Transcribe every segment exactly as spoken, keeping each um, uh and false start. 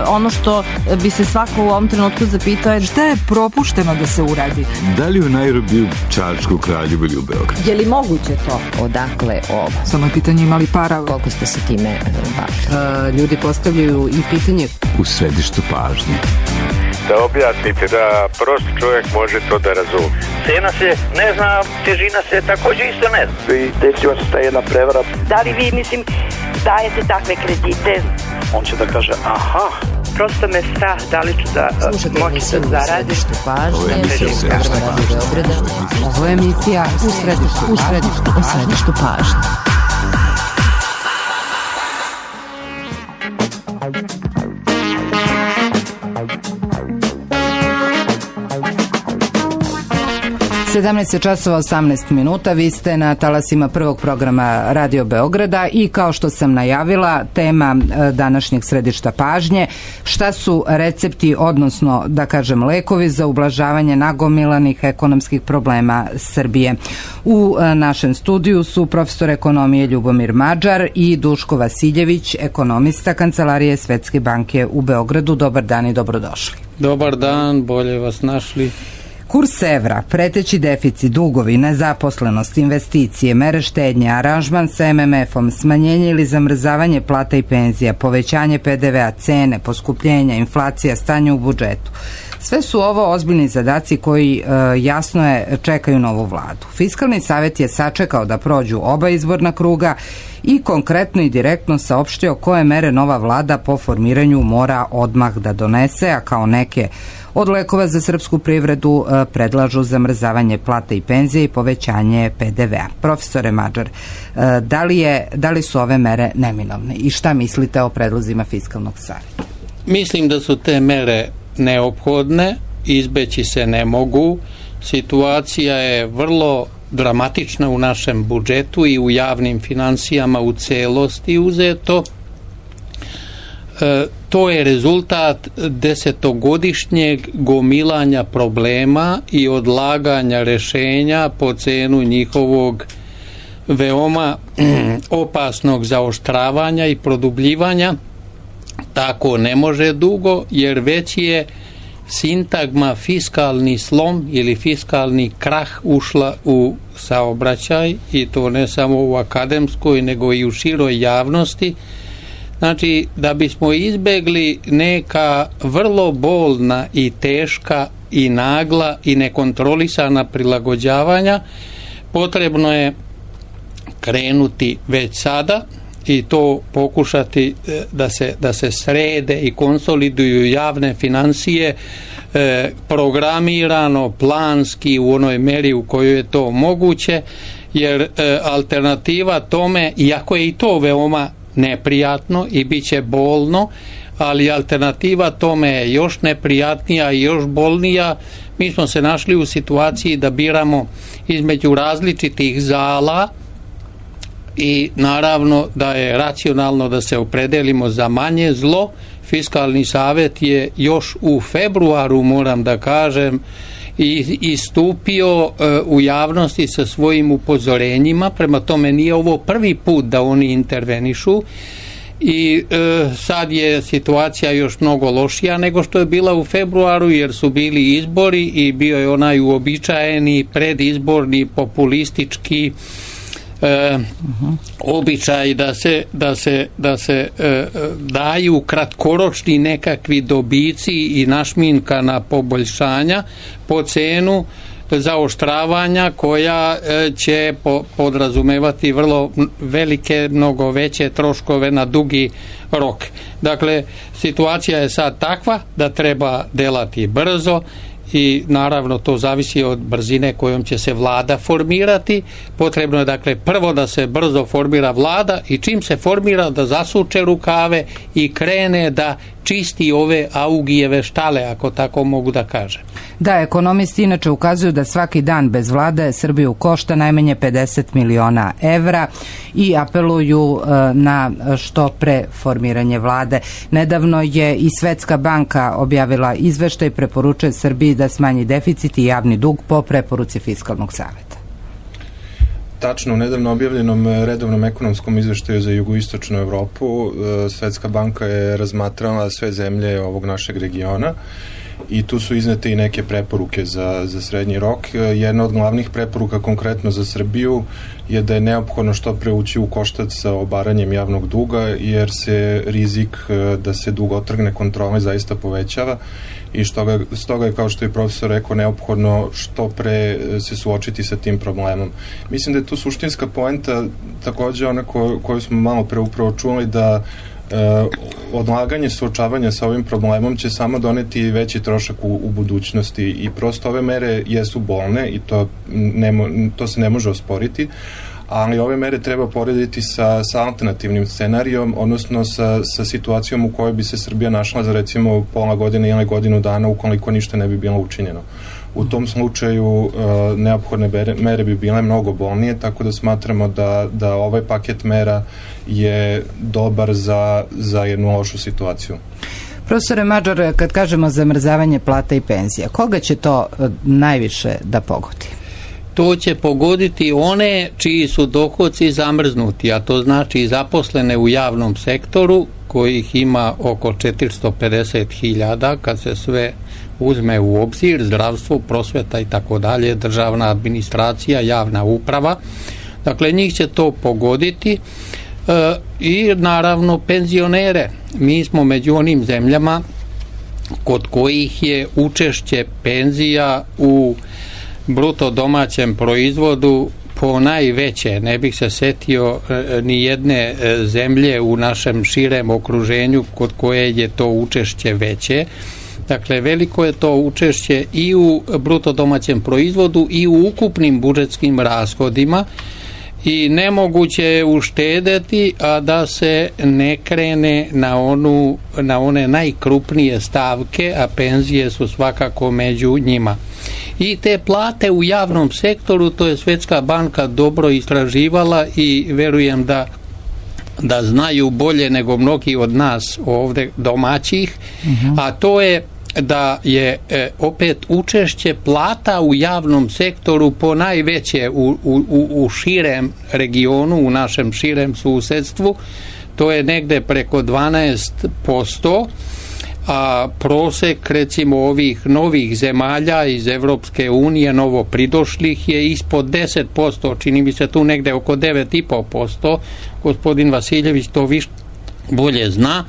ono što bi se svako u ovom trenutku zapitao je šta je propušteno da se uradi? Da li u Nairobiju, Čačku, Kraljevu ili u Beogradu? Je li moguće to? Odakle ovo? Samo je pitanje imali para. Koliko ste se time bavili? Ljudi postavljaju i pitanje u središtu pažnje. Da objasnite, da prost čovjek može to da razumije. Cena se ne zna, težina se također isto ne zna. I desila se ta jedna prevara. Da li vi, mislim, dajete takve kredite? On će da kaže, aha. Prosto me strah, da li ću da moći da zaradim. Ovo je emisija Ovo je emisija u središtu, u središtu, u središtu pažnje. sedamnaest časova osamnaest minuta, vi ste na talasima prvog programa Radio Beograda i kao što sam najavila, tema današnjeg središta pažnje, šta su recepti, odnosno da kažem lekovi za ublažavanje nagomilanih ekonomskih problema Srbije. U našem studiju su profesor ekonomije Ljubomir Mađar i Duško Vasiljević, ekonomista Kancelarije Svetske banke u Beogradu. Dobar dan i dobrodošli. Dobar dan, bolje vas našli. Kurs evra, preteći deficit, dugovi, nezaposlenost, investicije, mere štednje, aranžman sa em em efom, smanjenje ili zamrzavanje plata i penzija, povećanje pe de vea, cene, poskupljenja, inflacija, stanje u budžetu. Sve su ovo ozbiljni zadaci koji e, jasno je čekaju novu vladu. Fiskalni savjet je sačekao da prođu oba izborna kruga i konkretno i direktno saopštio koje mere nova vlada po formiranju mora odmah da donese, a kao neke od lekova za srpsku privredu e, predlažu zamrzavanje plata i penzije i povećanje pe de vea. Profesore Mađar, e, da li je, da li su ove mere neminovne i šta mislite o predlozima Fiskalnog savjeta? Mislim da su te mere neophodne, izbeći se ne mogu. Situacija je vrlo dramatična u našem budžetu i u javnim financijama u celosti uzeto. E, to je rezultat desetogodišnjeg gomilanja problema i odlaganja rešenja po cenu njihovog veoma opasnog zaoštravanja i produbljivanja. Tako ne može dugo, jer već je sintagma fiskalni slom ili fiskalni krah ušla u saobraćaj, i to ne samo u akademskoj nego i u široj javnosti. Znači, da bismo izbegli neka vrlo bolna i teška i nagla i nekontrolisana prilagođavanja, potrebno je krenuti već sada i to pokušati da se, da se srede i konsoliduju javne financije e, programirano, planski, u onoj meri u kojoj je to moguće, jer e, alternativa tome, iako je i to veoma neprijatno i bit će bolno, ali alternativa tome je još neprijatnija i još bolnija. Mi smo se našli u situaciji da biramo između različitih zala i naravno da je racionalno da se opredelimo za manje zlo. Fiskalni savjet je još u februaru, moram da kažem, i istupio e, u javnosti sa svojim upozorenjima, prema tome nije ovo prvi put da oni intervenišu i e, sad je situacija još mnogo lošija nego što je bila u februaru, jer su bili izbori i bio je onaj uobičajeni predizborni populistički E, uh-huh. običaj da se, da se, da se e, daju kratkoročni nekakvi dobici i našminkana poboljšanja po cenu zaoštravanja koja e, će po, podrazumevati vrlo velike, mnogo veće troškove na dugi rok. Dakle, situacija je sad takva da treba delati brzo i naravno to zavisi od brzine kojom će se vlada formirati. Potrebno je dakle prvo da se brzo formira vlada i čim se formira da zasuče rukave i krene da čisti ove Augijeve štale, ako tako mogu da kažem. Da, ekonomisti inače ukazuju da svaki dan bez vlade Srbiju košta najmanje pedeset miliona evra i apeluju e, na što pre formiranje vlade. Nedavno je i Svetska banka objavila izveštaj, preporučuje Srbiji da smanji deficit i javni dug po preporuci Fiskalnog savjeta. Tačno, u nedavno objavljenom redovnom ekonomskom izveštaju za jugoistočnu Evropu Svetska banka je razmatrala sve zemlje ovog našeg regiona i tu su iznete i neke preporuke za, za srednji rok. Jedna od glavnih preporuka konkretno za Srbiju je da je neophodno što pre ući u koštac sa obaranjem javnog duga, jer se rizik da se dug otrgne kontrole zaista povećava i što ga, stoga je, kao što je profesor rekao, neophodno što pre se suočiti sa tim problemom. Mislim da je tu suštinska poenta takođe ona ko, koju smo malo pre upravo čuli, da e, odlaganje suočavanja sa ovim problemom će samo doneti veći trošak u, u budućnosti i prosto ove mere jesu bolne i to, ne, to se ne može osporiti, ali ove mere treba porediti sa, sa alternativnim scenarijom, odnosno sa, sa situacijom u kojoj bi se Srbija našla za recimo pola godine ili godinu dana ukoliko ništa ne bi bilo učinjeno. U tom slučaju uh, neophodne mere, mere bi bile mnogo bolnije, tako da smatramo da, da ovaj paket mera je dobar za, za jednu lošu situaciju. Profesore Mađar, kad kažemo zamrzavanje plata i penzija, koga će to najviše da pogodi? To će pogoditi one čiji su dohodci zamrznuti, a to znači zaposlene u javnom sektoru, kojih ima oko četiristo pedeset hiljada, kad se sve uzme u obzir, zdravstvo, prosveta i tako dalje, državna administracija, javna uprava. Dakle, njih će to pogoditi e, i naravno penzionere. Mi smo među onim zemljama kod kojih je učešće penzija u bruto domaćem proizvodu po najveće. Ne bih se setio e, ni jedne e, zemlje u našem širem okruženju kod koje je to učešće veće. Dakle, veliko je to učešće i u bruto domaćem proizvodu i u ukupnim budžetskim rashodima i nemoguće je uštedeti, a da se ne krene na, onu, na one najkrupnije stavke, a penzije su svakako među njima. I te plate u javnom sektoru, to je Svetska banka dobro istraživala i verujem da da znaju bolje nego mnogi od nas ovde domaćih, uh-huh. a to je da je e, opet učešće plata u javnom sektoru po najveće u, u, u širem regionu, u našem širem susedstvu, to je negde preko dvanaest posto, a prosek recimo ovih novih zemalja iz Evropske unije, novo pridošlih, je ispod deset posto, čini mi se tu negde oko devet i po posto, gospodin Vasiljević to više bolje zna.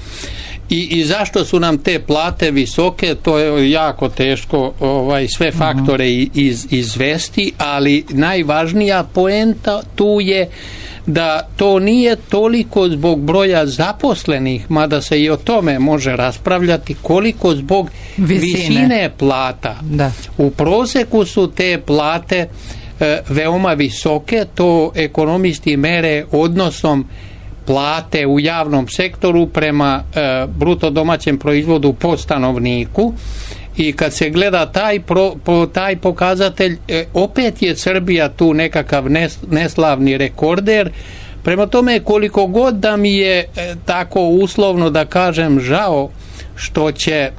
I, i zašto su nam te plate visoke, to je jako teško ovaj, sve faktore iz, izvesti, ali najvažnija poenta tu je da to nije toliko zbog broja zaposlenih, mada se i o tome može raspravljati, koliko zbog visine, visine plata. Da. U proseku su te plate e, veoma visoke, to ekonomisti mere odnosom plate u javnom sektoru prema e, bruto domaćem proizvodu po stanovniku i kad se gleda taj, pro, po, taj pokazatelj, e, opet je Srbija tu nekakav nes, neslavni rekorder. Prema tome, koliko god da mi je e, tako uslovno da kažem žao što će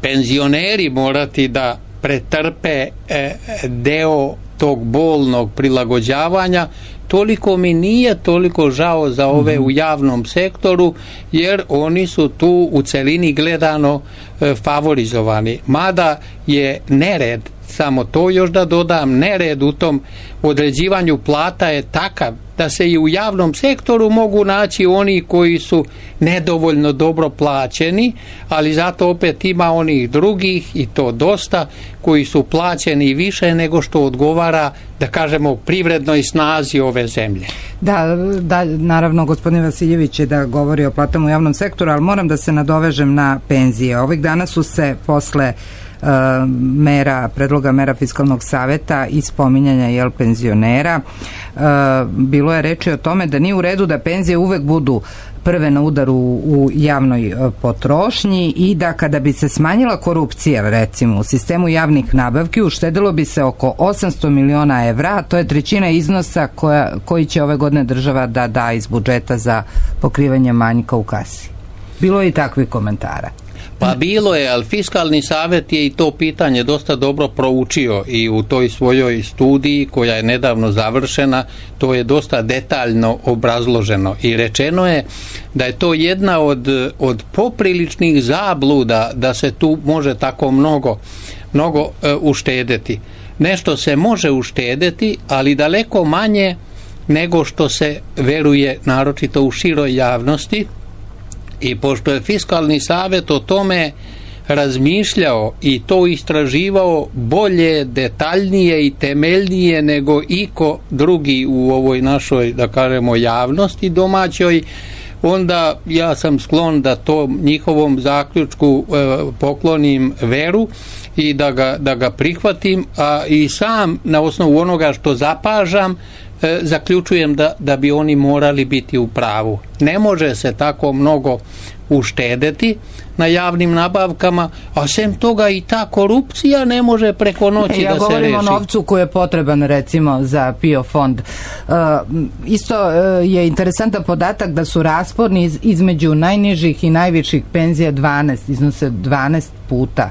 penzioneri morati da pretrpe e, deo tog bolnog prilagođavanja, toliko mi nije toliko žao za ove u javnom sektoru, jer oni su tu u celini gledano e, favorizovani. Mada je nered, samo to još da dodam, nered u tom određivanju plata je takav da se i u javnom sektoru mogu naći oni koji su nedovoljno dobro plaćeni, ali zato opet ima onih drugih, i to dosta, koji su plaćeni više nego što odgovara, da kažemo, privrednoj snazi ove zemlje. Da, da, naravno, gospodin Vasiljević je da govori o platama u javnom sektoru, ali moram da se nadovežem na penzije. Ovih dana su se posle Uh, mera, predloga mera Fiskalnog saveta i spominjanja jel, penzionera, uh, bilo je reči o tome da nije u redu da penzije uvek budu prve na udaru u javnoj uh, potrošnji i da kada bi se smanjila korupcija recimo u sistemu javnih nabavki uštedilo bi se oko osamsto miliona evra, a to je trećina iznosa koja, koji će ove godine država da da iz budžeta za pokrivanje manjka u kasi. Bilo je i takvih komentara. Pa bilo je, ali Fiskalni savjet je i to pitanje dosta dobro proučio i u toj svojoj studiji koja je nedavno završena, to je dosta detaljno obrazloženo i rečeno je da je to jedna od, od popriličnih zabluda da se tu može tako mnogo, mnogo uh, uštedeti. Nešto se može uštedeti, ali daleko manje nego što se veruje, naročito u široj javnosti. I pošto je Fiskalni savjet o tome razmišljao i to istraživao bolje, detaljnije i temeljnije nego iko drugi u ovoj našoj, da kažemo, javnosti domaćoj, onda ja sam sklon da to njihovom zaključku e, poklonim veru i da ga, da ga prihvatim, a i sam na osnovu onoga što zapažam e, zaključujem da, da bi oni morali biti u pravu. Ne može se tako mnogo uštedeti na javnim nabavkama, a sem toga i ta korupcija ne može preko noći ja da se reši. Ja govorim o novcu koji je potreban recimo za P I O fond. Uh, isto uh, je interesantan podatak da su rasponi iz, između najnižih i najviših penzija dvanaest, iznose dvanaest puta.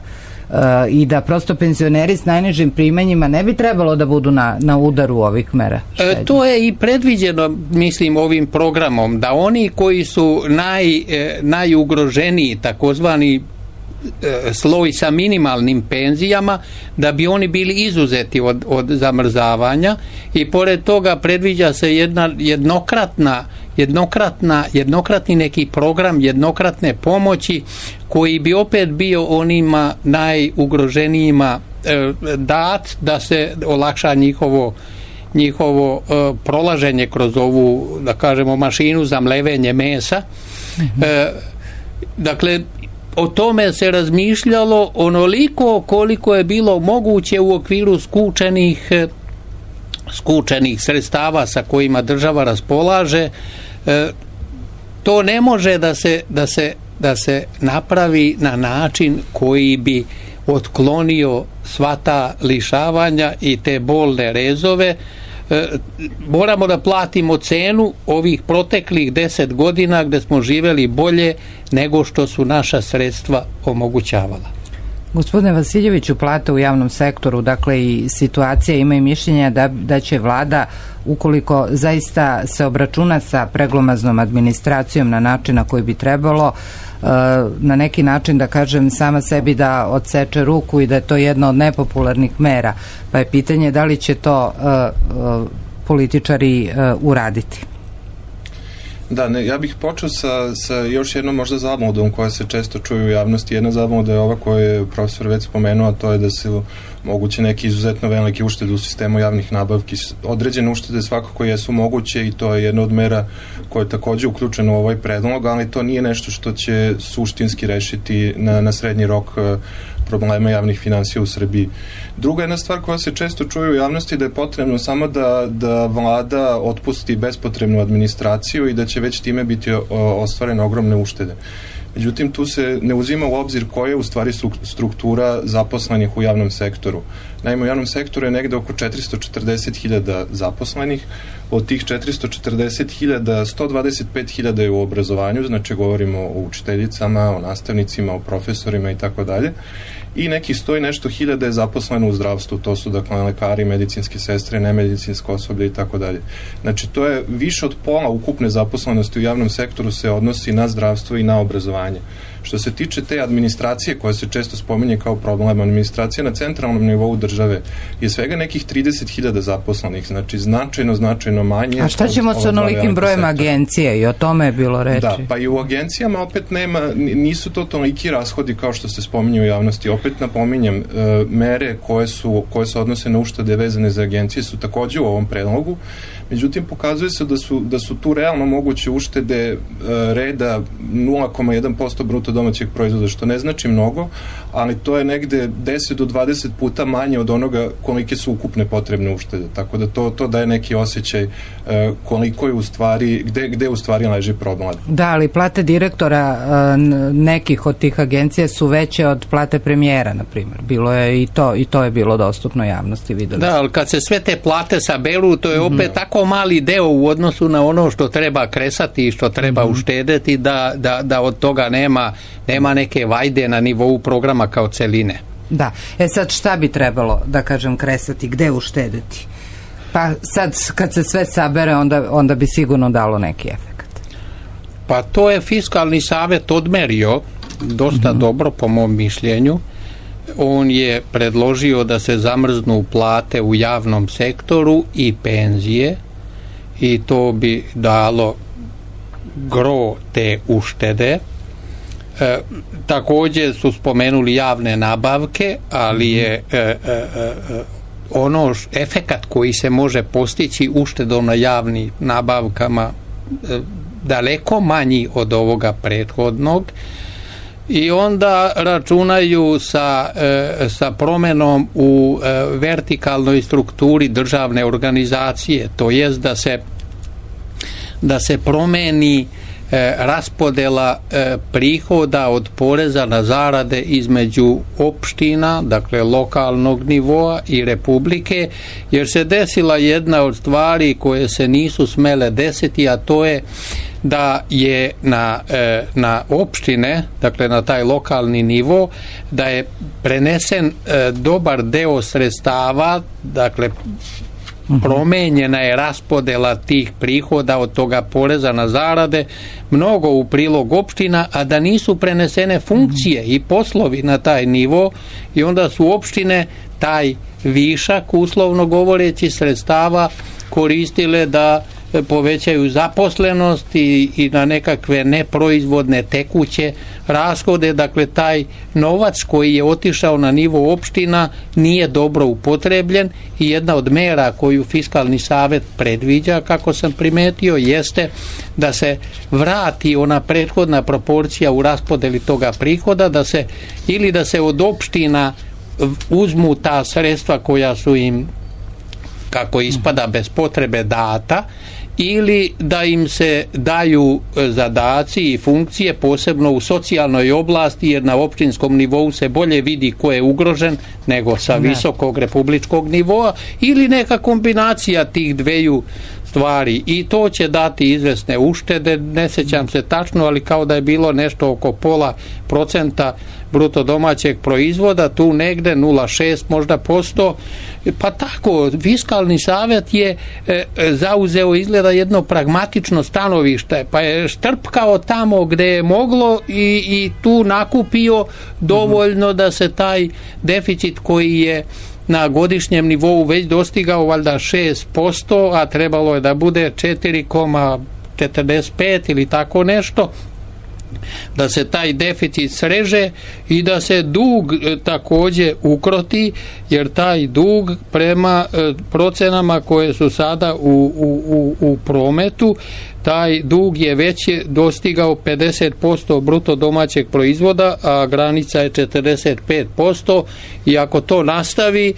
Uh, i da prosto penzioneri s najnižim primanjima ne bi trebalo da budu na, na udaru ovih mera. E, to je i predviđeno, mislim, ovim programom, da oni koji su naj, e, najugroženiji, takozvani e, sloj sa minimalnim penzijama, da bi oni bili izuzeti od, od zamrzavanja i pored toga predviđa se jedna jednokratna jednokratna, jednokratni neki program jednokratne pomoći koji bi opet bio onima najugroženijima e, dat da se olakša njihovo njihovo e, prolaženje kroz ovu, da kažemo, mašinu za mlevenje mesa. Mm-hmm. E, dakle, o tome se razmišljalo onoliko koliko je bilo moguće u okviru skučenih skučenih sredstava sa kojima država raspolaže. E, to ne može da se, da se, da se napravi na način koji bi otklonio sva ta lišavanja i te bolne rezove. E, moramo da platimo cenu ovih proteklih deset godina gde smo živeli bolje nego što su naša sredstva omogućavala. Gospodine Vasiljeviću, plate u javnom sektoru, dakle i situacija, ima i mišljenja da, da će vlada, ukoliko zaista se obračuna sa preglomaznom administracijom na način na koji bi trebalo, na neki način, da kažem, sama sebi da odseče ruku i da je to jedna od nepopularnih mera. Pa je pitanje da li će to uh, uh, političari uh, uraditi. Da, ne, ja bih počeo sa, sa još jednom možda zabludom koja se često čuje u javnosti. Jedna zabluda je ova koju je profesor već spomenuo, a to je da se moguće neki izuzetno veliki uštede u sistemu javnih nabavki. Određene uštede svakako jesu moguće i to je jedna od mera koja je takođe uključena u ovaj predlog, ali to nije nešto što će suštinski rešiti na, na srednji rok problema javnih finansija u Srbiji. Druga jedna stvar koja se često čuje u javnosti da je potrebno samo da, da vlada otpusti bespotrebnu administraciju i da će već time biti ostvarene ogromne uštede. Međutim, tu se ne uzima u obzir koja je u stvari struktura zaposlenih u javnom sektoru. Naime, u javnom sektoru je negde oko četiristo četrdeset hiljada zaposlenih, od tih četiristo četrdeset hiljada, sto dvadeset pet hiljada je u obrazovanju, znači govorimo o učiteljicama, o nastavnicima, o profesorima i tako dalje, i nekih sto i nešto hiljada je zaposleno u zdravstvu, to su dakle lekari, medicinske sestre, nemedicinsko osoblje i tako dalje. Znači, to je više od pola ukupne zaposlenosti u javnom sektoru se odnosi na zdravstvo i na obrazovanje. Što se tiče te administracije koja se često spominje kao problem, administracija na centralnom nivou države je svega nekih trideset hiljada zaposlenih, znači značajno, značajno manje. A šta ćemo sa onolikim brojem agencije? I o tome je bilo reči. Da, pa i u agencijama opet nema, nisu to toliki rashodi kao što se spominje u javnosti. Opet napominjem, mere koje su, koje se odnose na uštede vezane za agencije su takođe u ovom predlogu. Međutim, pokazuje se da su, da su tu realno moguće uštede e, reda nula zarez jedan posto bruto domaćeg proizvoda, što ne znači mnogo, ali to je negde deset do dvadeset puta manje od onoga kolike su ukupne potrebne uštede. Tako da to, to daje neki osjećaj e, koliko je u stvari, gde, gde u stvari leži problem. Da, ali plate direktora e, nekih od tih agencija su veće od plate premijera, na primjer. Bilo je i to, i to je bilo dostupno javnosti, videli. Da, ali kad se sve te plate saberu, to je opet mm. tako toliko mali deo u odnosu na ono što treba kresati i što treba mm-hmm. uštedeti da, da, da od toga nema, nema neke vajde na nivou programa kao celine. Da, e sad šta bi trebalo, da kažem, kresati, gde uštedeti? Pa sad kad se sve sabere onda, onda bi sigurno dalo neki efekt. Pa to je Fiskalni savjet odmerio dosta mm-hmm. dobro po mom mišljenju. On je predložio da se zamrznu plate u javnom sektoru i penzije i to bi dalo gro te uštede. E, također su spomenuli javne nabavke, ali je e, e, e, ono š, efekat koji se može postići uštedom na javnim nabavkama e, daleko manji od ovoga prethodnog. I onda računaju sa, e, sa promenom u e, vertikalnoj strukturi državne organizacije, to jest da se da se promeni e, raspodela e, prihoda od poreza na zarade između opština, dakle lokalnog nivoa i republike, jer se desila jedna od stvari koje se nisu smele desiti, a to je da je na, e, na opštine, dakle na taj lokalni nivo, da je prenesen e, dobar deo sredstava, dakle promenjena je raspodela tih prihoda od toga poreza na zarade mnogo u prilog opština, a da nisu prenesene funkcije i poslovi na taj nivo i onda su opštine taj višak, uslovno govoreći, sredstava koristile da povećaju zaposlenost i, i na nekakve neproizvodne tekuće rashode, dakle taj novac koji je otišao na nivo opština nije dobro upotrebljen i jedna od mera koju Fiskalni savet predviđa, kako sam primetio, jeste da se vrati ona prethodna proporcija u raspodeli toga prihoda, da se ili da se od opština uzmu ta sredstva koja su im, kako ispada, bez potrebe data, ili da im se daju zadaci i funkcije posebno u socijalnoj oblasti, jer na opštinskom nivou se bolje vidi ko je ugrožen nego sa visokog republičkog nivoa, ili neka kombinacija tih dveju stvari i to će dati izvesne uštede, ne sjećam se tačno, ali kao da je bilo nešto oko pola procenta bruto domaćeg proizvoda, tu negde nula zarez šest možda posto, pa tako Fiskalni savet je e, zauzeo izgleda jedno pragmatično stanovište, pa je štrpkao tamo gde je moglo i, i tu nakupio dovoljno da se taj deficit koji je na godišnjem nivou već dostigao valjda šest posto, a trebalo je da bude četiri zarez četrdeset pet ili tako nešto, da se taj deficit sreže i da se dug e, također ukroti, jer taj dug prema e, procenama koje su sada u, u, u, u prometu, taj dug je već dostigao pedeset posto bruto domaćeg proizvoda, a granica je četrdeset pet posto i ako to nastavi,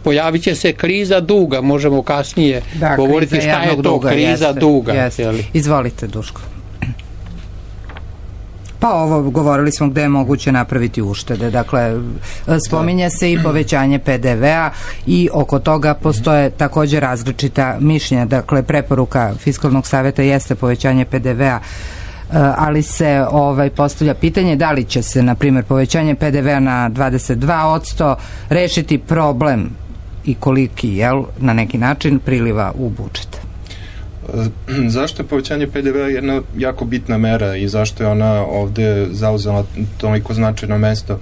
pojavit će se kriza duga. Možemo kasnije da, govoriti šta je to duga, kriza jeste, duga. Jeste. Izvolite, Duško. Pa ovo, govorili smo gde je moguće napraviti uštede. Dakle, spominje se i povećanje pe de ve a i oko toga postoje također različita mišljenja. Dakle, preporuka Fiskalnog savjeta jeste povećanje pe de ve a, ali se ovaj postavlja pitanje da li će se, na primjer, povećanje pe de ve a na dvadeset dva posto rešiti problem i koliki, jel, na neki način priliva u budžet. Zašto je povećanje pe de ve a jedna jako bitna mera i zašto je ona ovde zauzela toliko značajno mesto?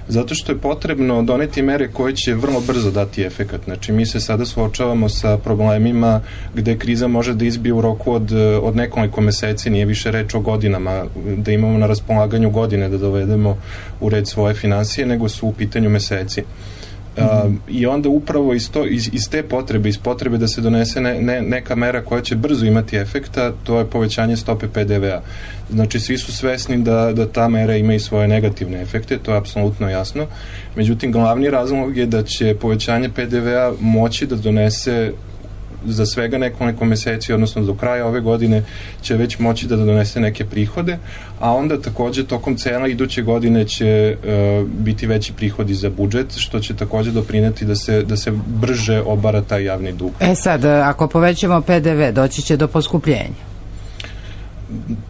Zato što je potrebno doneti mere koje će vrlo brzo dati efekat. Znači, mi se sada suočavamo sa problemima gde kriza može da izbije u roku od, od nekoliko meseci, nije više reč o godinama, da imamo na raspolaganju godine da dovedemo u red svoje finansije, nego su u pitanju meseci. Uh, i onda upravo iz, to, iz, iz te potrebe, iz potrebe da se donese ne, ne, neka mera koja će brzo imati efekta, to je povećanje stope pe de ve a. Znači, svi su svesni da, da ta mera ima i svoje negativne efekte, to je apsolutno jasno. Međutim, glavni razlog je da će povećanje pe de ve a moći da donese za svega nekoliko meseci, odnosno do kraja ove godine će već moći da donese neke prihode, a onda takođe tokom cele iduće godine će uh, biti veći prihodi za budžet, što će takođe doprineti da se, da se brže obara taj javni dug. E sad, ako povećamo P D V, doći će do poskupljenja?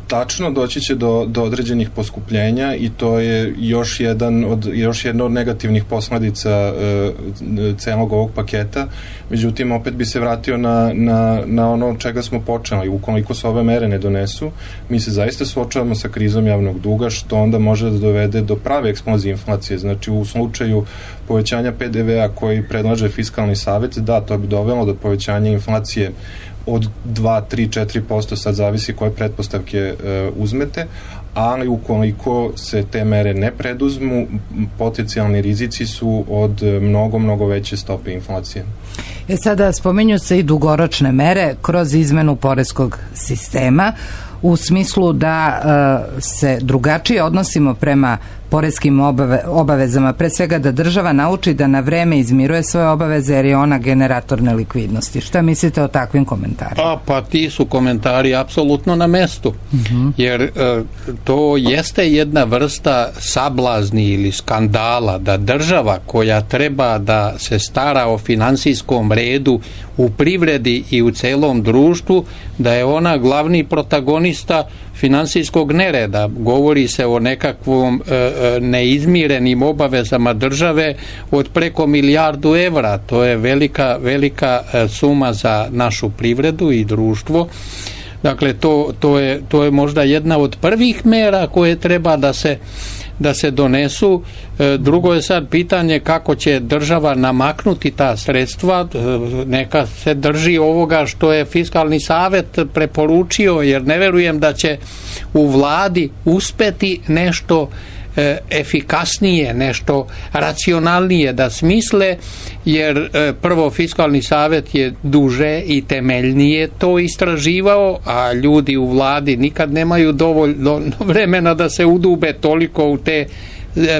Tačno, doći će do, do određenih poskupljenja i to je još jedan od, još jedna od negativnih posledica e, celog ovog paketa. Međutim, opet bi se vratio na, na, na ono čega smo počeli. Ukoliko se ove mere ne donesu, mi se zaista suočavamo sa krizom javnog duga, što onda može da dovede do prave eksplozije inflacije. Znači, u slučaju povećanja P D V-a koji predlaže Fiskalni savet, da, to bi dovelo do povećanja inflacije od dva, tri, četiri posto, sad zavisi koje pretpostavke e, uzmete, ali ukoliko se te mere ne preduzmu, potencijalni rizici su od mnogo, mnogo veće stope inflacije. E sada, spominju se i dugoročne mere kroz izmenu poreskog sistema, u smislu da e, se drugačije odnosimo prema poreskim obave, obavezama, pre svega da država nauči da na vreme izmiruje svoje obaveze, jer je ona generator nelikvidnosti. Šta mislite o takvim komentarima? A, pa ti su komentari apsolutno na mestu, uh-huh. jer e, to jeste jedna vrsta sablazni ili skandala da država koja treba da se stara o finansijskom redu u privredi i u celom društvu, da je ona glavni protagonista finansijskog nereda. Govori se o nekakvom e, neizmirenim obavezama države od preko milijardu evra. To je velika, velika e, suma za našu privredu i društvo. Dakle, to, to, je, to je možda jedna od prvih mera koje treba da se da se donesu. Drugo je sad pitanje kako će država namaknuti ta sredstva. Neka se drži ovoga što je Fiskalni savet preporučio, jer ne verujem da će u vladi uspeti nešto efikasnije, nešto racionalnije da smisle, jer prvo Fiskalni savet je duže i temeljnije to istraživao, a ljudi u vladi nikad nemaju dovoljno vremena da se udube toliko u te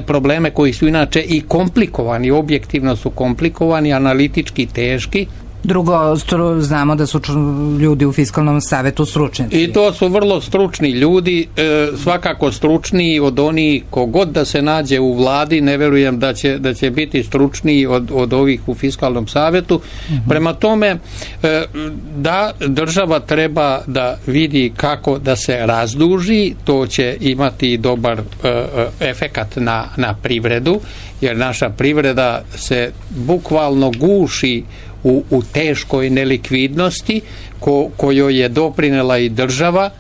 probleme koji su inače i komplikovani, objektivno su komplikovani, analitički teški. Drugo, stru, znamo da su ljudi u Fiskalnom savetu stručnjaci. I to su vrlo stručni ljudi, e, svakako stručniji od onih kogod da se nađe u vladi, ne verujem da će, da će biti stručniji od, od ovih u Fiskalnom savetu. Uh-huh. Prema tome, e, da država treba da vidi kako da se razduži, to će imati dobar e, efekat na, na privredu, jer naša privreda se bukvalno guši U, u teškoj nelikvidnosti ko, kojoj je doprinela i država,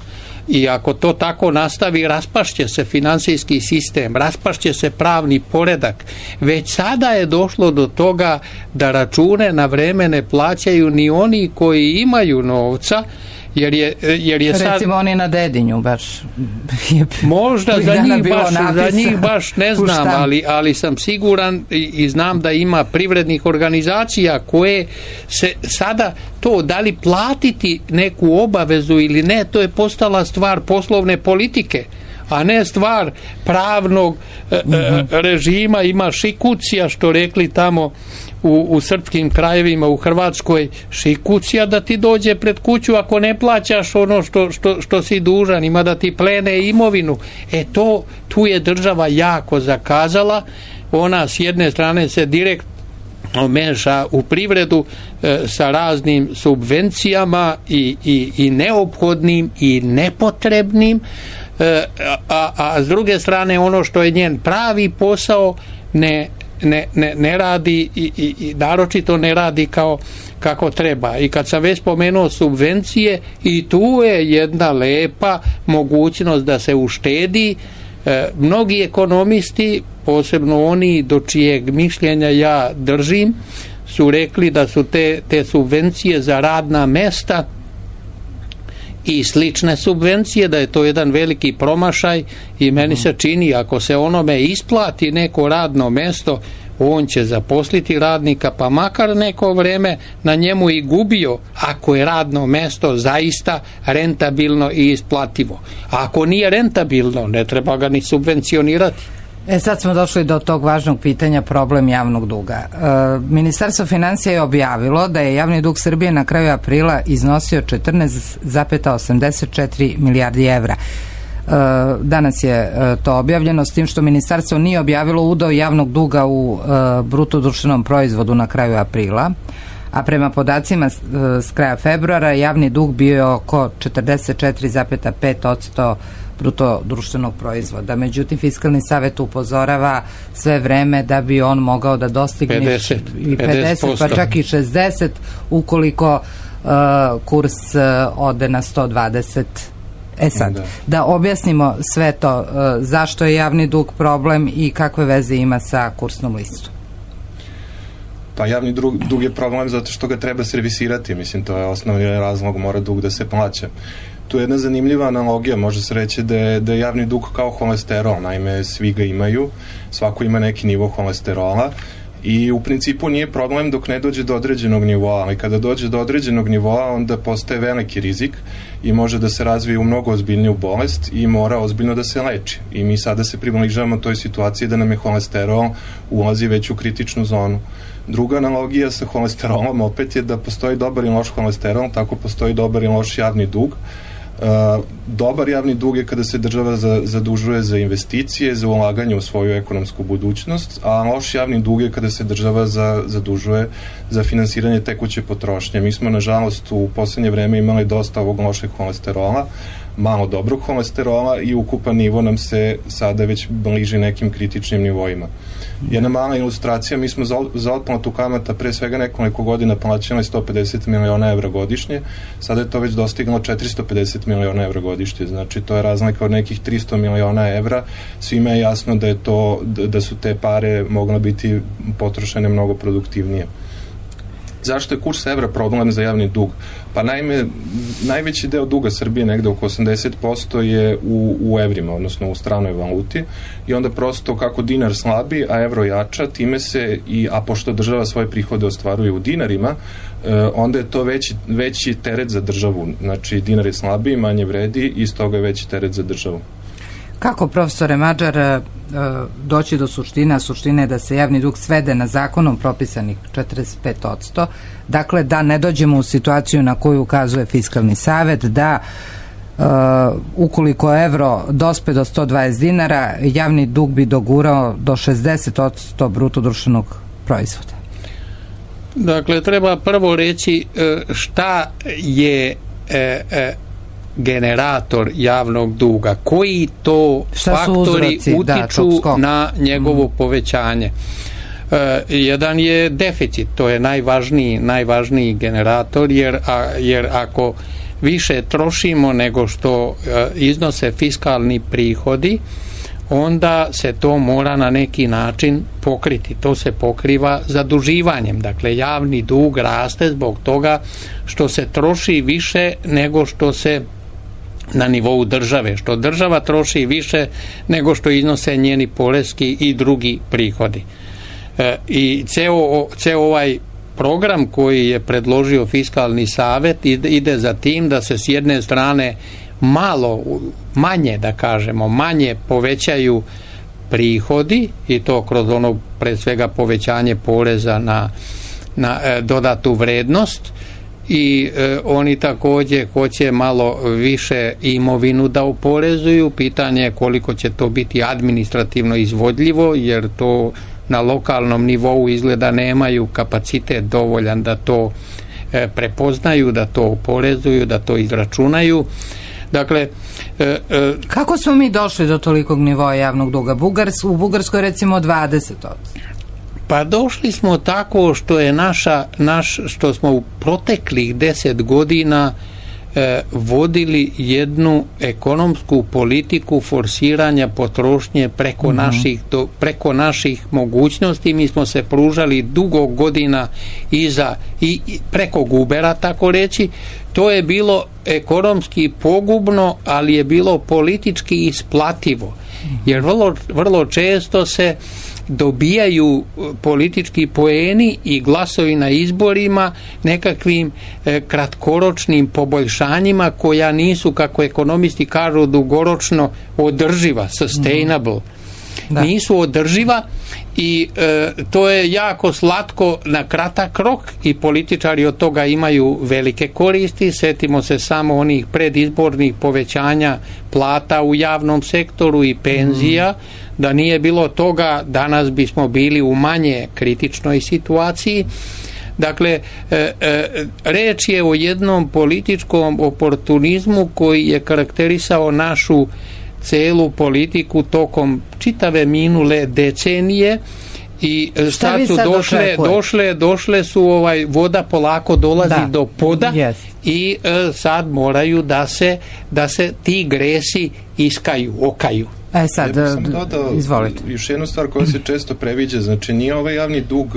i ako to tako nastavi, raspašće se finansijski sistem, raspašće se pravni poredak. Već sada je došlo do toga da račune na vreme ne plaćaju ni oni koji imaju novca, jer je, jer je sad... Recimo oni na Dedinju baš... Možda za njih, baš, za njih baš ne znam, ali, ali sam siguran i, i znam da ima privrednih organizacija koje se sada to, da li platiti neku obavezu ili ne, to je postala stvar poslovne politike, a ne stvar pravnog mm-hmm. režima. Ima šikucija, što rekli tamo u, u srpskim krajevima, u Hrvatskoj, šikucija da ti dođe pred kuću ako ne plaćaš ono što, što, što si dužan, ima da ti plene imovinu. E to, tu je država jako zakazala. Ona s jedne strane se direktno meša u privredu e, sa raznim subvencijama i, i, i neophodnim i nepotrebnim, e, a, a s druge strane ono što je njen pravi posao ne Ne, ne, ne radi i, i, i naročito ne radi kao kako treba. I kad sam već spomenuo subvencije, i tu je jedna lepa mogućnost da se uštedi. E, mnogi ekonomisti, posebno oni do čijeg mišljenja ja držim, su rekli da su te, te subvencije za radna mesta i slične subvencije, da je to jedan veliki promašaj, i meni se čini, ako se onome isplati neko radno mesto, on će zaposliti radnika, pa makar neko vreme na njemu i gubio, ako je radno mesto zaista rentabilno i isplativo. A ako nije rentabilno, ne treba ga ni subvencionirati. E sad smo došli do tog važnog pitanja, problem javnog duga. E, Ministarstvo financija je objavilo da je javni dug Srbije na kraju aprila iznosio četrnaest zarez osamdeset četiri milijardi evra. E, danas je e, to objavljeno, s tim što ministarstvo nije objavilo udeo javnog duga u e, bruto društvenom proizvodu na kraju aprila, a prema podacima e, s kraja februara javni dug bio je oko četrdeset četiri zarez pet posto bruto društvenog proizvoda. Međutim, Fiskalni savet upozorava sve vreme da bi on mogao da dostigne pedeset, i pedeset, pa čak i šezdeset ukoliko uh, kurs uh, ode na sto dvadeset. E sad, da, da objasnimo sve to, uh, zašto je javni dug problem i kakve veze ima sa kursnom listom. Pa javni dug, dug je problem zato što ga treba servisirati, mislim, to je osnovni razlog, mora dug da se plaća. Tu je jedna zanimljiva analogija, može se reći da je, da je javni dug kao holesterol, naime svi ga imaju, svako ima neki nivo holesterola i u principu nije problem dok ne dođe do određenog nivoa, ali kada dođe do određenog nivoa onda postaje veliki rizik i može da se razvije u mnogo ozbiljniju bolest i mora ozbiljno da se leči. I mi sada se približavamo toj situaciji da nam je holesterol ulazi već u kritičnu zonu. Druga analogija sa holesterolom opet je da postoji dobar i loš holesterol, tako postoji dobar i loš javni dug. Uh, dobar javni dug je kada se država za, zadužuje za investicije, za ulaganje u svoju ekonomsku budućnost, a loš javni dug je kada se država za, zadužuje za finansiranje tekuće potrošnje. Mi smo, nažalost, u poslednje vreme imali dosta ovog lošeg holesterola, malo dobrog holesterola i ukupan nivo nam se sada već bliži nekim kritičnim nivoima. Jedna mala ilustracija, mi smo za, za otplatu kamata pre svega nekoliko godina plaćali sto pedeset miliona evra godišnje, sada je to već dostiglo četiristo pedeset miliona evra godišnje, znači to je razlika od nekih tristo miliona evra, svima je jasno da je to, da su te pare mogle biti potrošene mnogo produktivnije. Zašto je kurs evra problem za javni dug? Pa naime, najveći deo duga Srbije, negde oko osamdeset posto je u, u evrima, odnosno u stranoj valuti i onda prosto kako dinar slabi, a evro jača, time se, i, a pošto država svoje prihode ostvaruje u dinarima, e, onda je to veći, veći teret za državu. Znači, dinar je slabiji, manje vredi i stoga je veći teret za državu. Kako, profesore Madžar, doći do suštine, a suština je da se javni dug svede na zakonom propisanih četrdeset pet posto, dakle da ne dođemo u situaciju na koju ukazuje Fiskalni savet, da uh, ukoliko evro dospe do sto dvadeset dinara, javni dug bi dogurao do šezdeset posto bruto društvenog proizvoda. Dakle, treba prvo reći šta je e, e, generator javnog duga, koji to šta faktori uzroci, utiču da, na njegovo mm. povećanje. E, jedan je deficit, to je najvažniji, najvažniji generator, jer, a, jer ako više trošimo nego što e, iznose fiskalni prihodi, onda se to mora na neki način pokriti. To se pokriva zaduživanjem. Dakle, javni dug raste zbog toga što se troši više nego što se na nivou države, što država troši više nego što iznose njeni poreski i drugi prihodi. E, I ceo, ceo ovaj program koji je predložio Fiskalni savet ide, ide za tim da se s jedne strane malo, manje da kažemo, manje povećaju prihodi i to kroz ono pre svega povećanje poreza na, na e, dodatu vrednost i e, oni takođe hoće malo više imovinu da oporezuju. Pitanje je koliko će to biti administrativno izvodljivo, jer to na lokalnom nivou izgleda nemaju kapacitet dovoljan da to e, prepoznaju, da to oporezuju, da to izračunaju. Dakle, e, e, kako smo mi došli do tolikog nivoa javnog duga? Bugars, u Bugarskoj recimo dvadeset posto. Pa došli smo tako što je naša, naš, što smo u proteklih deset godina e, vodili jednu ekonomsku politiku forsiranja potrošnje preko, mm-hmm. naših, do, preko naših mogućnosti. Mi smo se pružali dugo godina iza i, i preko gubera, tako reći. To je bilo ekonomski pogubno, ali je bilo politički isplativo. Jer vrlo, vrlo često se dobijaju politički poeni i glasovi na izborima nekakvim e, kratkoročnim poboljšanjima koja nisu, kako ekonomisti kažu, dugoročno održiva, sustainable. da. nisu održiva i e, to je jako slatko na kratak rok i političari od toga imaju velike koristi. Sjetimo se samo onih predizbornih povećanja plata u javnom sektoru i penzija. Mm. Da nije bilo toga, danas bismo bili u manje kritičnoj situaciji. Dakle, e, e, reč je o jednom političkom oportunizmu koji je karakterisao našu celu politiku tokom čitave minule decenije i sad su došle, došle, došle su ovaj, voda polako dolazi da. do poda yes. i e, sad moraju da se, da se ti gresi iskaju, okaju. E sad, ja sam dodao izvolite. Još jednu stvar koja se često previđa, znači nije ovaj javni dug,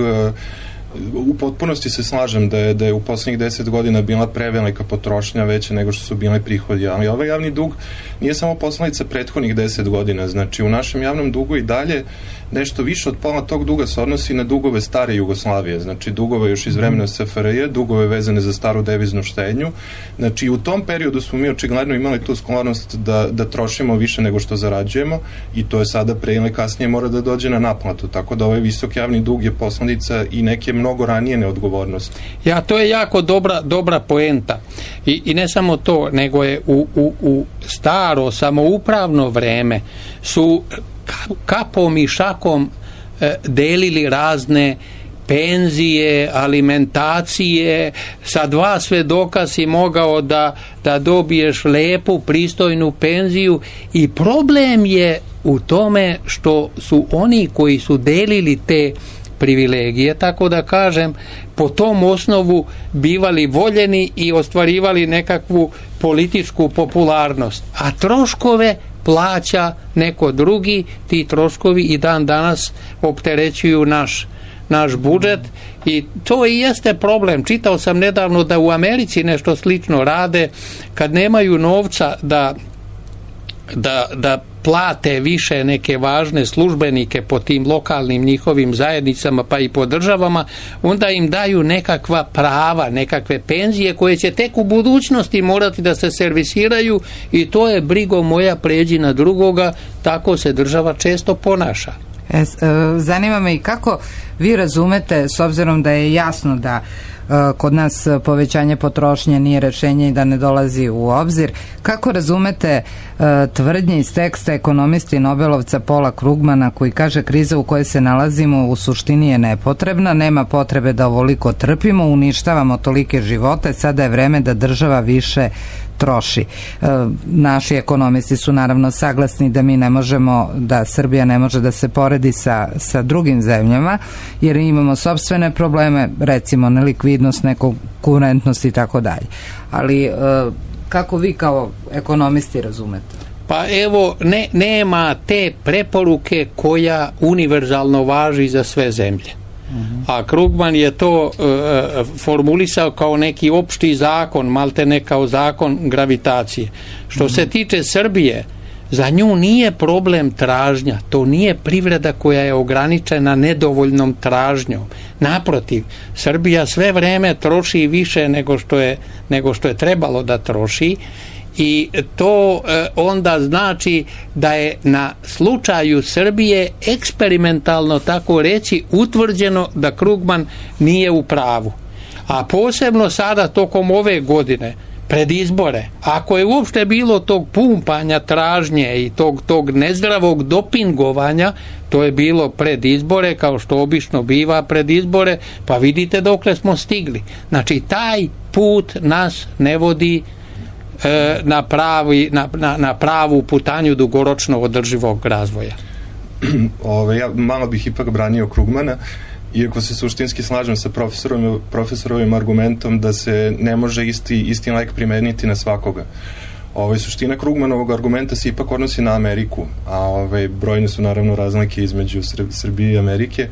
u potpunosti se slažem da je, da je u poslednjih deset godina bila prevelika potrošnja veća nego što su bile prihodi, ali ovaj javni dug nije samo posledica prethodnih deset godina, znači u našem javnom dugu i dalje nešto više od pola tog duga se odnosi na dugove stare Jugoslavije, znači dugove još iz vremena S F R J, dugove vezane za staru deviznu štednju, znači u tom periodu smo mi očigledno imali tu sklonost da, da trošimo više nego što zarađujemo i to je sada pre ili kasnije mora da dođe na naplatu, tako da ovaj visok javni dug je posledica i neke mnogo ranije neodgovornosti. Ja, to je jako dobra, dobra poenta I, i ne samo to, nego je u, u, u staro samoupravno vreme su kapom i šakom e, delili razne penzije, alimentacije, sa dva svedoka si mogao da, da dobiješ lepu, pristojnu penziju i problem je u tome što su oni koji su delili te privilegije, tako da kažem, po tom osnovu bivali voljeni i ostvarivali nekakvu političku popularnost, a troškove plaća neko drugi, ti troškovi i dan danas opterećuju naš, naš budžet i to i jeste problem. Čitao sam nedavno da u Americi nešto slično rade, kad nemaju novca da da, da plate više neke važne službenike po tim lokalnim njihovim zajednicama pa i po državama, onda im daju nekakva prava, nekakve penzije koje će tek u budućnosti morati da se servisiraju i to je brigo moja pređi na drugoga, tako se država često ponaša. E, zanima me i kako vi razumete, s obzirom da je jasno da kod nas povećanje potrošnje nije rešenje i da ne dolazi u obzir. Kako razumete uh, tvrdnje iz teksta ekonomisti Nobelovca Paula Krugmana koji kaže kriza u kojoj se nalazimo u suštini je nepotrebna, nema potrebe da ovoliko trpimo, uništavamo tolike živote, sada je vreme da država više troši. E, naši ekonomisti su naravno saglasni da mi ne možemo, da Srbija ne može da se poredi sa, sa drugim zemljama, jer imamo sopstvene probleme, recimo nelikvidnost, nekonkurentnost i tako dalje. Ali e, kako vi kao ekonomisti razumete? Pa evo, ne, nema te preporuke koja univerzalno važi za sve zemlje. A Krugman je to uh, formulisao kao neki opšti zakon, malte ne kao zakon gravitacije. Što se tiče Srbije, za nju nije problem tražnja, to nije privreda koja je ograničena nedovoljnom tražnjom. Naprotiv, Srbija sve vreme troši više nego što je, nego što je trebalo da troši i to e, onda znači da je na slučaju Srbije eksperimentalno, tako reći, utvrđeno da Krugman nije u pravu. A posebno sada tokom ove godine pred izbore, ako je uopšte bilo tog pumpanja tražnje i tog, tog nezdravog dopingovanja, to je bilo pred izbore, kao što obično biva pred izbore, pa vidite dokle smo stigli. Znači taj put nas ne vodi na, pravi, na, na, na pravu putanju dugoročno održivog razvoja. Ove, ja malo bih ipak branio Krugmana, iako se suštinski slažem sa profesorom, profesorovim argumentom da se ne može isti, isti lek primeniti na svakoga. Ove, suština Krugmanovog argumenta se ipak odnosi na Ameriku, a ove, brojne su naravno razlike između Srbije i Amerike,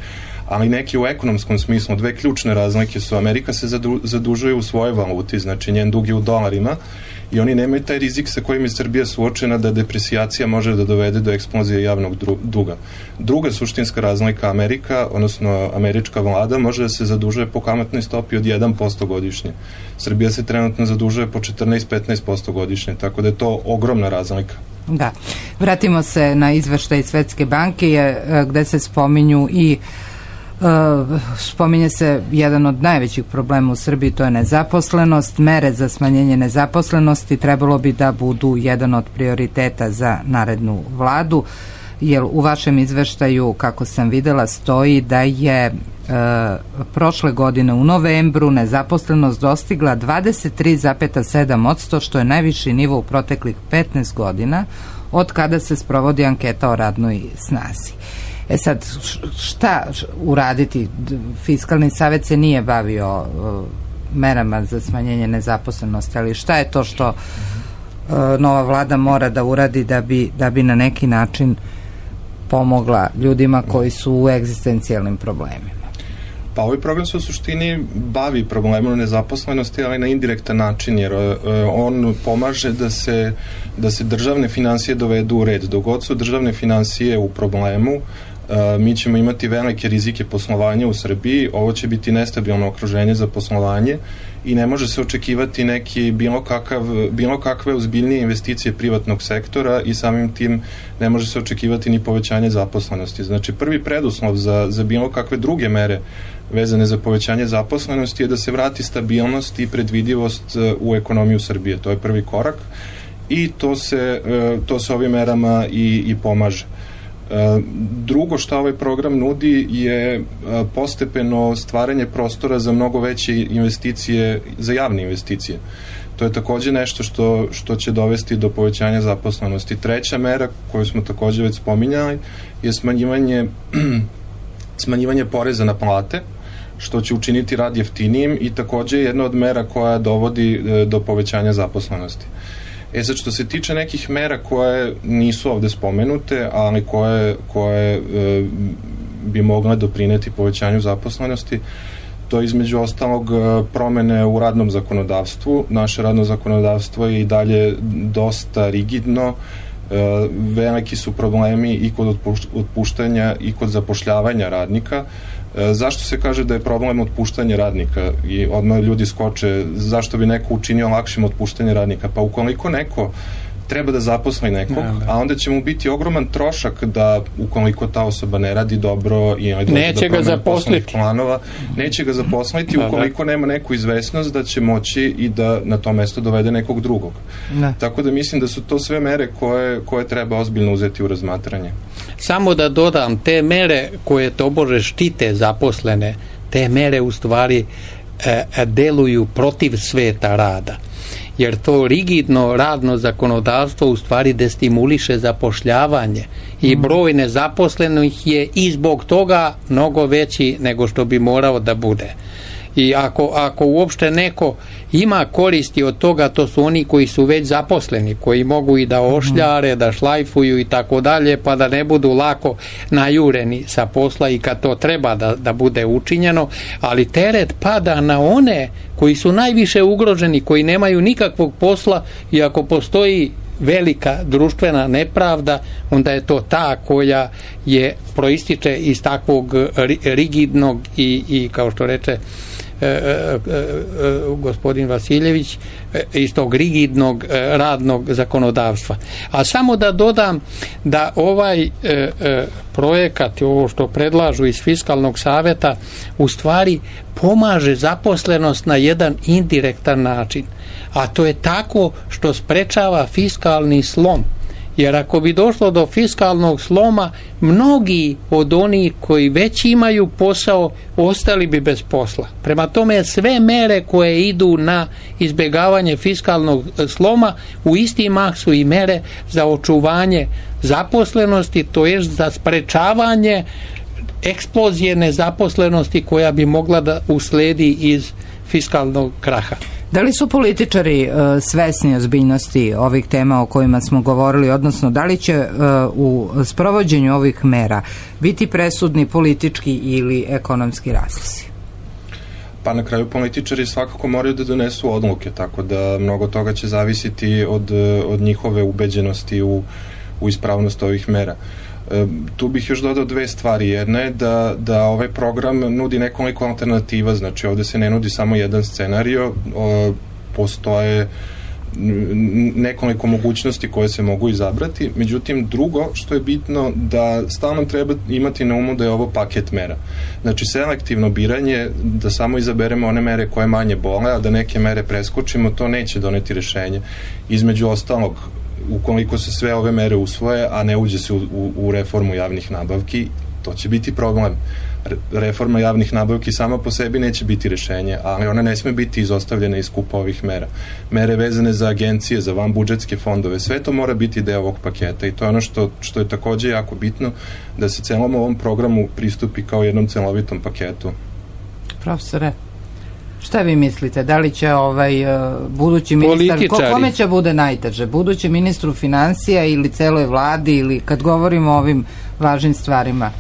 ali neki u ekonomskom smislu. Dve ključne razlike su: Amerika se zadu, zadužuje u svojoj valuti, znači njen dug je u dolarima, i oni nemaju taj rizik sa kojim je Srbija suočena da depresijacija može da dovede do eksplozije javnog duga. Druga suštinska razlika, Amerika, odnosno američka vlada, može da se zadužuje po kamatnoj stopi od jedan posto godišnje. Srbija se trenutno zadužuje po četrnaest do petnaest posto godišnje, tako da je to ogromna razlika. Da. Vratimo se na izveštaj Svetske banke gde se spominju i Uh, spominje se jedan od najvećih problema u Srbiji, to je nezaposlenost. Mere za smanjenje nezaposlenosti trebalo bi da budu jedan od prioriteta za narednu vladu, jer u vašem izveštaju, kako sam videla, stoji da je uh, prošle godine u novembru nezaposlenost dostigla dvadeset tri zarez sedam posto, što je najviši nivo u proteklih petnaest godina od kada se sprovodi anketa o radnoj snazi. E sad, šta uraditi? Fiskalni savet se nije bavio uh, merama za smanjenje nezaposlenosti, ali šta je to što uh, nova vlada mora da uradi da bi, da bi na neki način pomogla ljudima koji su u egzistencijalnim problemima? Pa ovaj program se u suštini bavi problemom nezaposlenosti, ali na indirektan način, jer uh, on pomaže da se, da se državne finansije dovedu u red. Dok god su državne finansije u problemu, Uh, mi ćemo imati velike rizike poslovanja u Srbiji, ovo će biti nestabilno okruženje za poslovanje i ne može se očekivati neki bilo, kakav, bilo kakve ozbiljnije investicije privatnog sektora i samim tim ne može se očekivati ni povećanje zaposlenosti. Znači, prvi preduslov za, za bilo kakve druge mere vezane za povećanje zaposlenosti je da se vrati stabilnost i predvidivost u ekonomiju Srbije. To je prvi korak i to se, uh, to se ovim merama i, i pomaže. Drugo što ovaj program nudi je postepeno stvaranje prostora za mnogo veće investicije, za javne investicije. To je takođe nešto što, što će dovesti do povećanja zaposlenosti. Treća mera koju smo takođe već spominjali je smanjivanje, smanjivanje poreza na plate, što će učiniti rad jeftinijim i takođe jedna od mera koja dovodi do povećanja zaposlenosti. E sad, što se tiče nekih mera koje nisu ovde spomenute, ali koje, koje e, bi mogle doprineti povećanju zaposlenosti, to je između ostalog promene u radnom zakonodavstvu. Naše radno zakonodavstvo je i dalje dosta rigidno, e, veliki su problemi i kod otpuštanja i kod zapošljavanja radnika. Zašto se kaže da je problem otpuštanje radnika i odmah ljudi skoče, zašto bi neko učinio lakšim otpuštanje radnika? Pa ukoliko neko treba da zaposli nekog, a onda će mu biti ogroman trošak da ukoliko ta osoba ne radi dobro i neće ga zaposliti planova, neće ga zaposliti ukoliko nema neku izvesnost da će moći i da na to mesto dovede nekog drugog. Ne. Tako da mislim da su to sve mere koje, koje treba ozbiljno uzeti u razmatranje. Samo da dodam, te mere koje tobože štite zaposlene, te mere u stvari e, deluju protiv sveta rada. Jer to rigidno radno zakonodavstvo u stvari destimuliše zapošljavanje i broj nezaposlenih je i zbog toga mnogo veći nego što bi morao da bude. I ako, ako uopšte neko ima koristi od toga, to su oni koji su već zaposleni, koji mogu i da ošljare, da šlajfuju i tako dalje, pa da ne budu lako najureni sa posla i kad to treba da, da bude učinjeno, ali teret pada na one koji su najviše ugroženi, koji nemaju nikakvog posla i ako postoji velika društvena nepravda, onda je to ta koja je proističe iz takvog rigidnog i, i kao što reče E, e, e, gospodin Vasiljević, e, iz tog rigidnog e, radnog zakonodavstva. A samo da dodam da ovaj e, e, projekat, ovo što predlažu iz Fiskalnog saveta, u stvari pomaže zaposlenost na jedan indirektan način, a to je tako što sprečava fiskalni slom. Jer ako bi došlo do fiskalnog sloma, mnogi od onih koji već imaju posao ostali bi bez posla. Prema tome, sve mere koje idu na izbjegavanje fiskalnog sloma u isti mah su i mere za očuvanje zaposlenosti, to je za sprečavanje eksplozije nezaposlenosti koja bi mogla da usledi iz fiskalnog kraha. Da li su političari uh, svesni ozbiljnosti ovih tema o kojima smo govorili, odnosno da li će uh, u sprovođenju ovih mera biti presudni politički ili ekonomski razlozi? Pa na kraju političari svakako moraju da donesu odluke, tako da mnogo toga će zavisiti od, od njihove ubeđenosti u, u ispravnost ovih mera. E, tu bih još dodao dve stvari. Jedna je da, da ovaj program nudi nekoliko alternativa, znači ovde se ne nudi samo jedan scenario, o, postoje nekoliko mogućnosti koje se mogu izabrati, međutim drugo što je bitno da stalno treba imati na umu da je ovo paket mera. Znači selektivno biranje, da samo izaberemo one mere koje manje bole, a da neke mere preskočimo, to neće doneti rešenje. Između ostalog, ukoliko se sve ove mere usvoje, a ne uđe se u, u, u reformu javnih nabavki, to će biti problem. Reforma javnih nabavki sama po sebi neće biti rešenje, ali ona ne sme biti izostavljena iz skupa ovih mera. Mere vezane za agencije, za vanbudžetske fondove, sve to mora biti deo ovog paketa i to je ono što, što je takođe jako bitno, da se celom ovom programu pristupi kao jednom celovitom paketu. Profesore, šta vi mislite? Da li će ovaj uh, budući ministar, ko, kome će bude najteže? Budući ministru financija ili celoj vladi, ili kad govorimo o ovim važnim stvarima?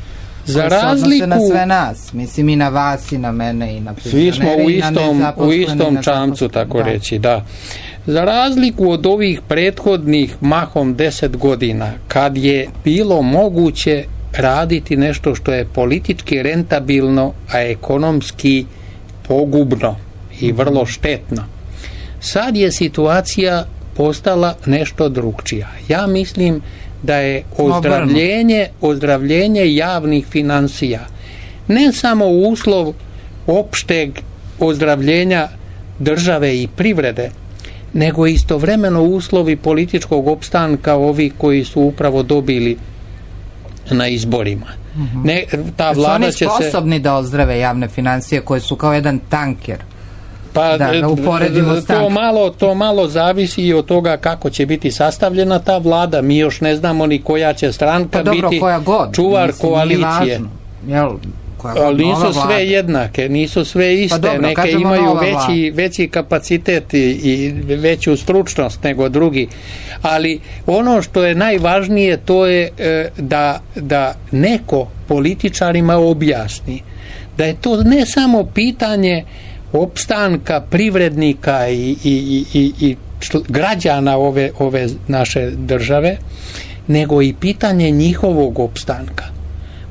Za razliku na sve nas, mislim i na vas i na mene i na svi smo u istom, u istom čamcu, tako da. reći, da. Za razliku od ovih prethodnih mahom deset godina, kad je bilo moguće raditi nešto što je politički rentabilno, a ekonomski pogubno i vrlo štetno, sad je situacija postala nešto drugčija. Ja mislim da je ozdravljenje, ozdravljenje javnih finansija ne samo uslov opšteg ozdravljenja države i privrede, nego istovremeno uslovi političkog opstanka ovih koji su upravo dobili na izborima. Mm-hmm. Ne, ta vlada će se... Su oni sposobni da ozdrave javne finansije koje su kao jedan tanker? Pa da, da to, malo, to malo zavisi i od toga kako će biti sastavljena ta vlada. Mi još ne znamo ni koja će stranka pa dobro, biti koja god, čuvar mislim, koalicije. Jel, ali nisu sve vlada. jednake, nisu sve iste. Pa dobro, neke imaju veći, veći kapacitet i, i veću stručnost nego drugi. Ali ono što je najvažnije to je e, da, da neko političarima objasni da je to ne samo pitanje opstanka privrednika i, i, i, i, i građana ove, ove naše države, nego i pitanje njihovog opstanka.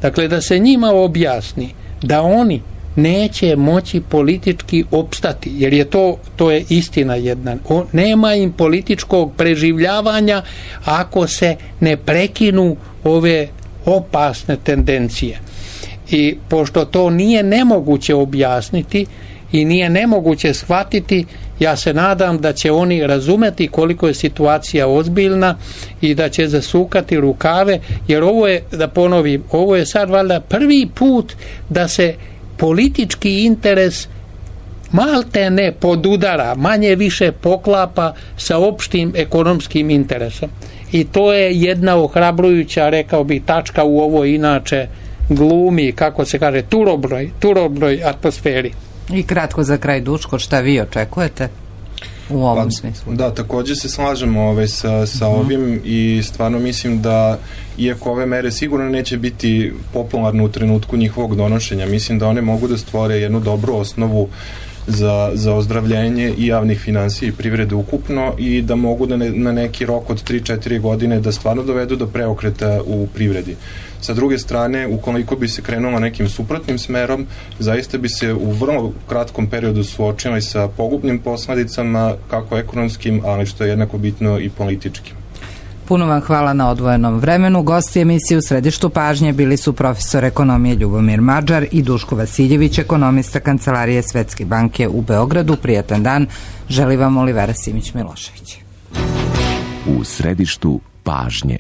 Dakle, da se njima objasni da oni neće moći politički opstati, jer je to, to je istina jedna. O, nema im političkog preživljavanja ako se ne prekinu ove opasne tendencije. I pošto to nije nemoguće objasniti i nije nemoguće shvatiti, ja se nadam da će oni razumeti koliko je situacija ozbiljna i da će zasukati rukave, jer ovo je, da ponovim, ovo je sad valjda prvi put da se politički interes malte ne podudara, manje više poklapa sa opštim ekonomskim interesom. I to je jedna ohrabrujuća, rekao bi, tačka u ovoj inače glumi, kako se kaže, turobroj, turobroj atmosferi. I kratko za kraj, Duško, šta vi očekujete u ovom pa, smislu? Da, također se slažemo ovaj, sa, sa uh-huh. ovim i stvarno mislim da iako ove mere sigurno neće biti popularne u trenutku njihovog donošenja, mislim da one mogu da stvore jednu dobru osnovu za, za ozdravljenje i javnih finansija i privrede ukupno i da mogu da ne, na neki rok od tri četiri godine da stvarno dovedu do preokreta u privredi. Sa druge strane, ukoliko bi se krenulo nekim suprotnim smerom, zaista bi se u vrlo kratkom periodu suočili sa pogubnim posledicama, kako ekonomskim, ali što je jednako bitno i političkim. Puno vam hvala na odvojenom vremenu. Gosti emisije u središtu pažnje bili su profesor ekonomije Ljubomir Madžar i Duško Vasiljević, ekonomista Kancelarije Svetske banke u Beogradu. Prijatan dan. Želi vam Olivera Simić-Milošević. U središtu pažnje.